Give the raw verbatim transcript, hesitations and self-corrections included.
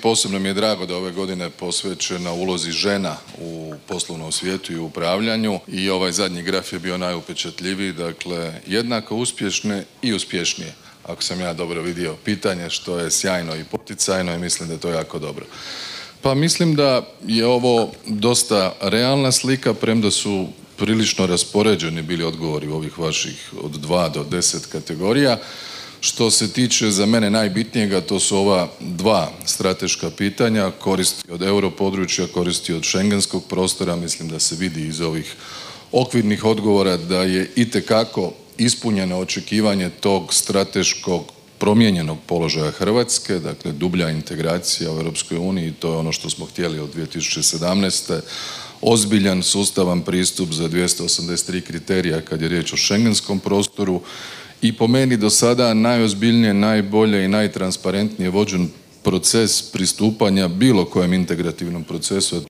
Posebno mi je drago da ove godine posvećena ulozi žena u poslovnom svijetu i u upravljanju i ovaj zadnji graf je bio najupečatljiviji, dakle jednako uspješne i uspješnije, ako sam ja dobro vidio pitanje, što je sjajno i poticajno i mislim da je to jako dobro. Pa mislim da je ovo dosta realna slika, premda su prilično raspoređeni bili odgovori u ovih vaših od dva do deset kategorija. Što se tiče za mene najbitnijega, to su ova dva strateška pitanja, koristi od europodručja, koristi od schengenskog prostora. Mislim da se vidi iz ovih okvirnih odgovora da je itekako ispunjeno očekivanje tog strateškog promijenjenog položaja Hrvatske, dakle dublja integracija u Europskoj uniji, to je ono što smo htjeli od dvije tisuće sedamnaeste. Ozbiljan, sustavan pristup za dvjesto osamdeset tri kriterija kad je riječ o schengenskom prostoru i po meni do sada najozbiljnije, najbolje i najtransparentnije vođen proces pristupanja bilo kojem integrativnom procesu.